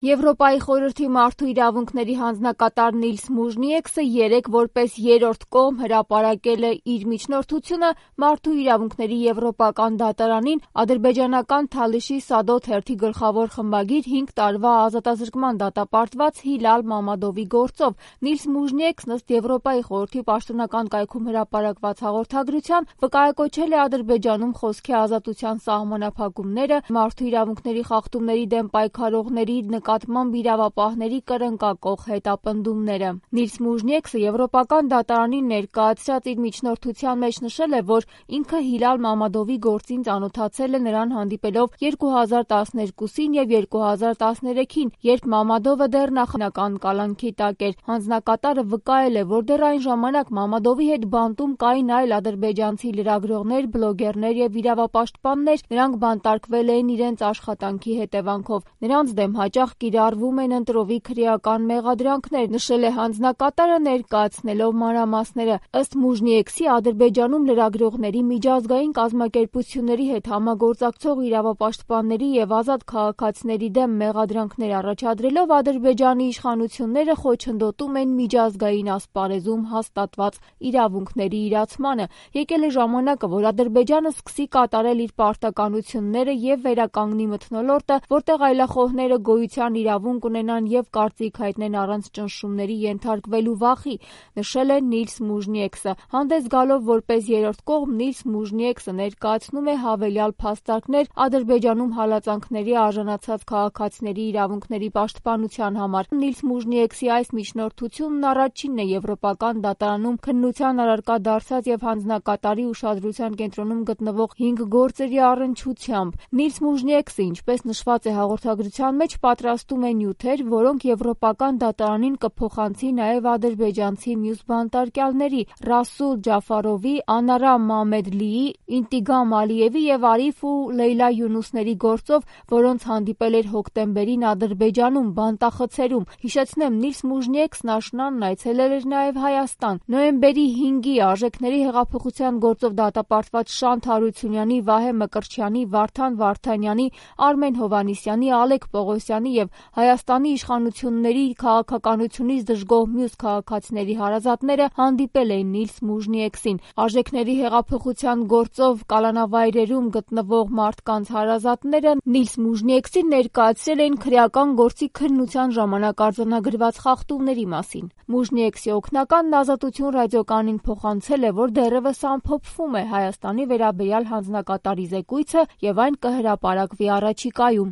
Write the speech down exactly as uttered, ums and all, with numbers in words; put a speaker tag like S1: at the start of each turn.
S1: Եվրոպայի խորհրդի մարդու իրավունքների հանձնակատար Նիլս Մուժնիեքսը երեկ որպես երրորդ կողմ հրապարակել է իր միջնորդությունը մարդու իրավունքների եվրոպական դատարանին ադրբեջանական Թալիշի Սադո թերթի գլխավոր խմբագիր հինգ տարվա ազատազրկման դատապարտված Հիլալ Մամադովի գործով։ Նիլս Մուժնիեքսն ըստ Եվրոպայի խորհրդի պաշտոնական կայքում հրապարակված հաղորդագրության վկայակոչել է Ադրբեջանում խոսքի ազատության սահմանափակումները, մարդու իրավունքների խախտումների դեմ պայքարողների նկատմամբ իրավապահների կրնկակող հետապնդումները։ Նիլս Մուժնիեքսը Եվրոպական դատարանին ներկայացրած իր միջնորդության մեջ նշել է, որ ինքը Հիլալ Մամադովի գործին ծանոթացել է նրան հանդիպելով երկու հազար տասներկուսին և երկու հազար տասներեքին, երբ Մամադովը դեռ նախնական կալանքի տակ էր։ Հանձնակատարը վկայել է, որ դեռ այն ժամանակ Մամադովի հետ բանտում կային այլ ադրբեջանցի լրագրողներ, բլոգերներ և իրավապաշտպաններ, նրանք բանտարկվել էին իրենց աշխատանքի հետևանքով։ Նրանց դեմ հաճախ կիրառվում են ընտրովի քրեական մեղադրանքներ, նշել է հանձնակատարը ներկայացնելով մանրամասները։ Ըստ Մուժնիեքսի, Ադրբեջանում լրագրողների, միջազգային կազմակերպությունների հետ համագործակցող իրավապաշտպանների և ազատ քաղաքացիների դեմ մեղադրանքներ առաջադրելով Ադրբեջանի իշխանությունները խոչընդոտում են միջազգային ասպարեզում հաստատված իրավունքների իրացմանը։ Եկել է ժամանակը, որ Ադրբեջանը սկսի կատարել իր պարտականությունները և վերականգնի մթնոլորտը, որտեղ այլախոհները գոյության իրավունք ունենան և կարծիք հայտնեն առանց ճնշումների ենթարկվելու վախի, նշել է Նիլս Մուժնիեքսը։ Հանդես գալով որպես երրորդ կողմ, Նիլս Մուժնիեքսը ներկայացնում է հավելյալ փաստարկներ Ադրբեջանում հալածանքների արժանացած քաղաքացիների իրավունքների պաշտպանության համար։ Նիլս Մուժնիեքսի այս միջնորդությունն առաջինն է Եվրոպական դատարանում քննության առարկա դարձած և հանձնակատարի ուշադրության կենտրոնում գտնվող հինգ գործերի առնչությամբ։ Նիլս Մուժնիեքսը, ինչպես նշված է հաղորդագրության մեջ, պատրաստում է նյութեր, որոնք Եվրոպական դատարանին կփոխանցի նաև ադրբեջանցի մյուս բանտարկյալների՝ Ռասուլ Ջաֆարովի, Անարա Մամեդլիի, Ինտիգամ Ալիևի և Արիֆ ու Լեյլա Յունուսների գործով, որոնց հանդիպել էր հոկտեմբերին Ադրբեջանում բանտախցերում։ Հիշեցնեմ, Նիլս Մուժնիեքսն աշնանն այցելել էր նաև Հայաստան։ Նոյեմբերի հինգի Արժեքների հեղափոխության գործով դատապարտված Շանթ Հարությունյանի, Վահե Մկրտչյանի, Վարդան Վարդանյանի, Արմեն Հովհաննիսյանի, Ալեք Պողոսյանի և Հայաստանի իշխանությունների քաղաքականությունից դժգոհ մյուս քաղաքացիների հարազատները հանդիպել էին Նիլս Մուժնիեքսին։ Արժեքների հեղափոխության գործով կալանավայրերում գտնվող մարդկանց հարազատները Նիլս Մուժնիեքսին ներկայացրել էին քրեական գործի քննության ժամանակ արձանագրված խախտումների մասին։ Մուժնիեքսի օգնականն Ազատություն ռադիոկայանին փոխանցել է, որ դեռևս ամփոփվում է Հայաստանի վերաբերյալ հանձնակատարի զեկույցը և այն կհրապարակվի առաջիկայում։